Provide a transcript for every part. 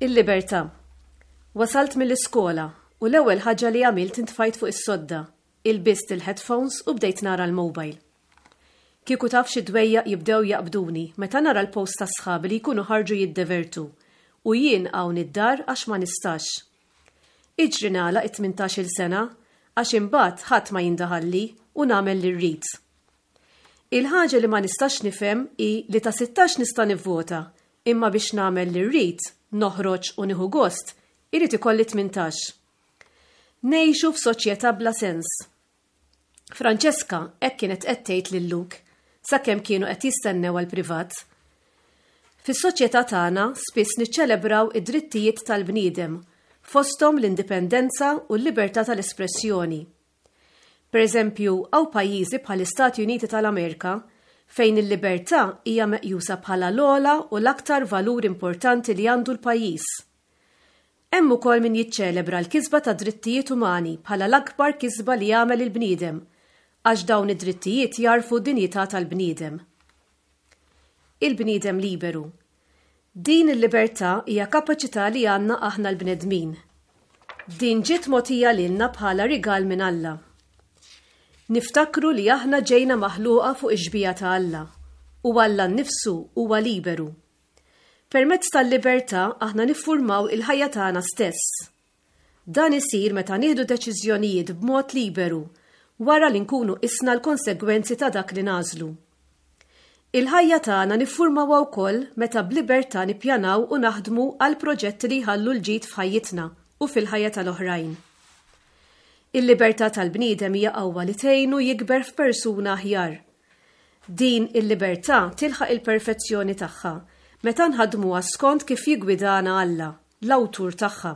Il-libertà. Wasalt mill-iskola u l-ewwel ħaġa li għamilt intfajt fuq is-sodda, ilbist il-headphones u bdejt nara l-mobile. Kieku taf xi dwejjaq jibdew jaqbduni meta nara l-posts ta' sħabi li jkunu ħarġu jiddevertu u jien hawn id-dar għax ma nistax. Iġri nagħlaq it-tmintax-il sena għax imbagħad ħadd ma jindaħalli u nagħmel li rrid. Il-ħaġa li ma nistax nifhem hi li ta' 16 nista' nivvota imma biex nagħmel li rrid, noħroġ u nieħu gost, irid ikolli 18. Ngħixu f'soċjetà bla sens. Francesca hekk kienet qed tgħid lil Luke sakemm kienu qed jistennew għall-privat. Fis-soċjetà tagħna spiss niċċelebraw id-drittijiet tal-bniedem, fosthom l-indipendenza u l-libertà tal-espressjoni. Pereżempju, hawn pajjiżi bħall-Istati Uniti tal-Amerika fejn il-libertà hija meqjusa bħala l-ogħla u l-aktar valur importanti li għandu l-pajjiż. Hemm ukoll min jiċċelebra l-kisba tad-drittijiet umani bħala l-akbar kisba li għamel il-bniedem għax dawn id-drittijiet jagħrfu d-dinjità tal-bniedem. Il-bniedem liberu. Din il-libertà hija kapaċità li għandna aħna l-bnedmin. Din ġiet mogħtija lilna bħala rigal minn Alla. Niftakru li aħna ġejna maħluqa fuq ix-xbieha ta' Alla u Alla nnifsu huwa liberu. Permezz tal-libertà aħna niffurmaw il-ħajja tagħna stess. Dan isir meta nieħdu deċiżjonijiet b'mod liberu, wara li nkunu qisna l-konsegwenzi ta' dak li nagħżlu. Il-ħajja tagħna niffurmawha wkoll meta b'libertà nippjanaw u naħdmu għal proġetti li jħallu l-ġid f'ħajjitna u fil-ħajja tal-oħrajn. Il-libertà tal-bniedem hija qawwa li tgħinu jikber f'persuna aħjar. Din il-libertà tilħaq il-perfezzjoni tagħha meta nħaddmuha skont kif jiggwidana Alla. l-awtur tagħha.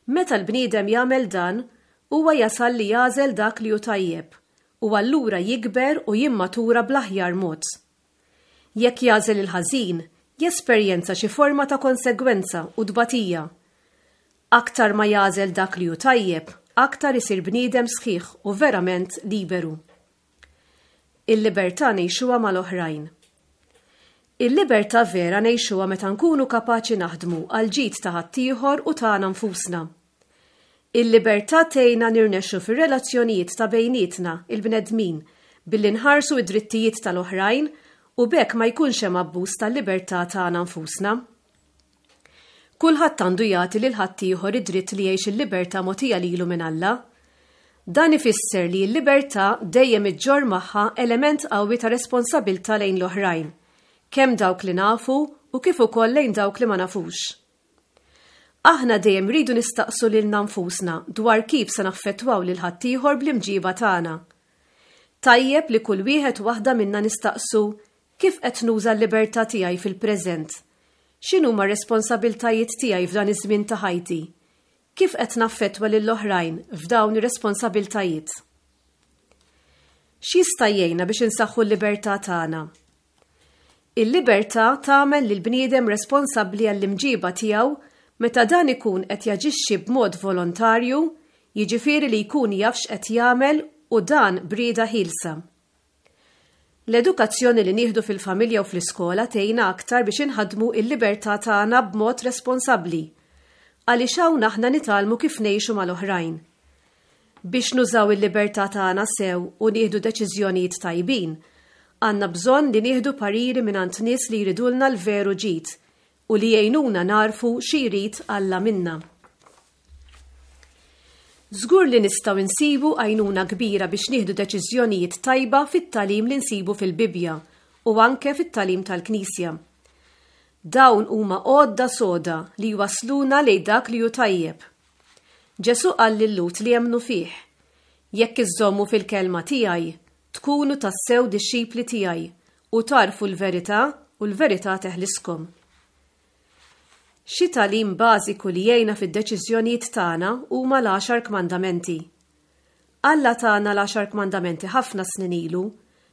Meta l-bniedem jagħmel dan, huwa jasal li jagħżel dak li hu tajjeb u allura jikber u jimmatura bl-aħjar mod. Jekk jagħżel il-ħażin, jesperjenza xi forma ta' konsegwenza u tbatija. Aktar ma jagħżel dak li hu tajjeb, aktar isir bniedem sħiħ u verament liberu. Il-libertà ngħixuha mal-oħrajn. Il-libertà vera ngħixuha meta nkunu kapaċi naħdmu għall-ġid ta' ħaddieħor u tagħna nfusna. Il-libertà tgħinna nirnexxu fir-relazzjonijiet ta' bejnietna, il-bnedmin, billi nħarsu d-drittijiet tal-oħrajn u b'hekk ma jkunx hemm abbuż tal-libertà tagħna nfusna. Kulħadd għandu jagħti lil ħaddieħor id-dritt li jgħix il-libertà mogħtija lilu minn Alla. Dan ifisser li l-libertà dejjem iġġorr magħha element qawwi ta' responsabilità lejn l-oħrajn, kemm dawk li nafu u kif ukoll lejn dawk li ma nafux. Aħna dejjem rridu nistaqsu lilna nfusna dwar kif se naffettwaw lil ħaddieħor bl-imġiba tagħna. Tajjeb li kull wieħed u waħda minna nistaqsu Kif qed nuża l-libertà tiegħi fil-preżent? X'inhuma r-responsabilitajiet tiegħi f'dan iż-żmien ta' ħajti? Kif qed naffettwa lill-oħrajn f'dawn ir-responsabilitajiet? X'jista' jgħinna biex insaħħu l-libertà tagħna? Il-libertà tagħmel lill-bniedem responsabbli għall-imġiba tiegħu meta dan ikun qed jaġixxi b'mod volontarju, jiġifieri li jkun jaf x'qed jagħmel u dan b'rieda ħielsa. L-edukazzjoni li nieħdu fil-familja u fl-iskola tgħinna aktar biex inħaddmu l-libertà tagħna b'mod responsabbli, għaliex hawn aħna nitgħallmu kif ngħixu mal-oħrajn. Biex nużaw il-libertà tagħna sew u nieħdu deċiżjonijiet tajbin, għandna bżonn li nieħdu pariri mingħand nies li jridulna l-veru ġid u li jgħinuna nagħrfu xi jrid Alla minna. Żgur li nistgħu nsibu għajnuna kbira biex nieħdu deċiżjonijiet tajba fit-tagħlim li nsibu fil-Bibbja u anke fit-tagħlim tal-Knisja. Dawn huma għodda soda li jwassluna lejn dak li hu tajjeb. Ġesù qal lil-Lhud li emmnu fih, Jekk iżżommu fil-kelma tiegħi, tkunu tassew dixxipli tiegħi u tagħrfu l-verità u l-verità teħliskom. Xi tagħlim bażiku li jgħinna fid-deċiżjonijiet tagħna huma l-Għaxar Kmandamenti. Alla tana l-Għaxar Kmandamenti ħafna snin ilu,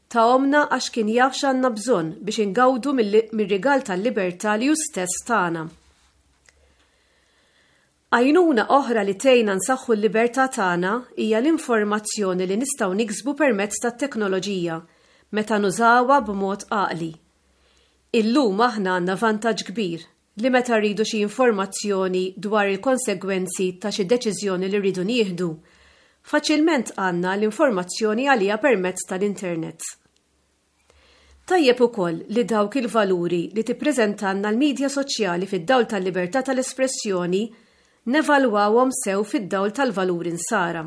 tahomna għax kien jaf x'għandna bżonn biex ingawdu mir-rigal tal-libertà li hu stess tana. Għajnuna oħra li tgħinna nsaħħu l-libertà tagħna hija l-informazzjoni li nistgħu niksbu permezz tat-teknoloġija meta nużawha b'mod għaqli. Illum aħna għandna vantaġġ kbir. li meta rridu xi informazzjoni dwar il-konsegwenzi ta' xi deċiżjoni li rridu nieħdu, faċilment għandna l-informazzjoni għaliha permezz tal-internet. Tajjeb ukoll li dawk il-valuri li tippreżentalna l-midja soċjali fid-dawl tal-libertà tal-espressjoni nevalwawhom sew fid-dawl tal-valuri Nsara.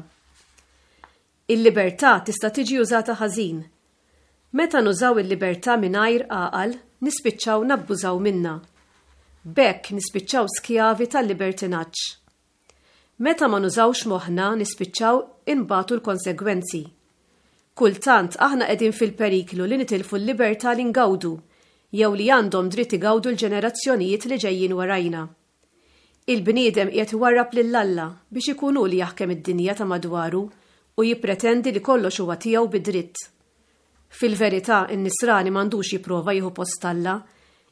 Il-libertà tista' tiġi użata ħażin. Meta nużaw il-libertà mingħajr għaqal, nispiċċaw nabbużaw minnha. B'hekk nispiċċaw skjavi tal-libertinaġġ. Meta ma nużawx moħħna nispiċċaw inbatu l-konsegwenzi. Kultant aħna qegħdin fil-periklu li nitilfu l-libertà li ngawdu jew li għandhom dritt igawdu l-ġenerazzjonijiet li ġejjin warajna. Il-bniedem qiegħed iwarrab lil Alla biex ikun hu li jaħkem id-dinja ta' madwaru u jippretendi li kollox huwa tiegħu bi dritt. Fil-verità n-Nisrani m'għandux jipprova jieħu post Alla,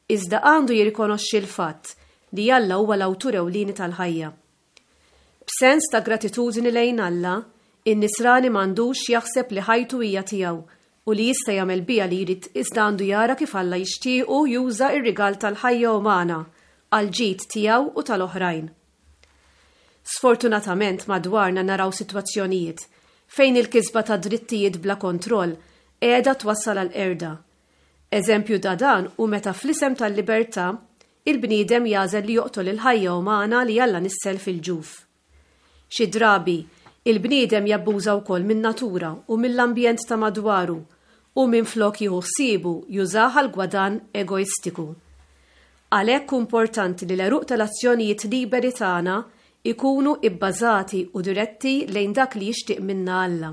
iżda għandu jirrikonoxxi l-fatt li Alla huwa l-awtur ewlieni tal-ħajja. B'sens ta' gratitudni lejn Alla, in-Nisrani m'għandux jaħseb li ħajtu hija tiegħu u li jista' jagħmel biha li jrid iżda għandu jara kif Alla jixtiequ juża r-rigal tal-ħajja umana għall-ġid tiegħu u tal-oħrajn. Sfortunatament madwarna naraw sitwazzjonijiet fejn il-kisba ta' drittijiet bla kontroll qiegħda twassal għall-qerda. Eżempju ta' dan hu meta fl-isem tal-libertà, il-bniedem jagħżel li joqtol il-ħajja umana li Alla nissel fil-ġuf. Xi drabi, il-bniedem jabbuża wkoll min-natura u mill-ambjent ta' madwaru u minflok jieħu ħsiebu jużah għal gwadann egoistiku. Għalhekk hu importanti li l-għeruq tal-azzjonijiet liberi tagħna jkunu ibbażati u diretti lejn dak li jixtieq minna Alla.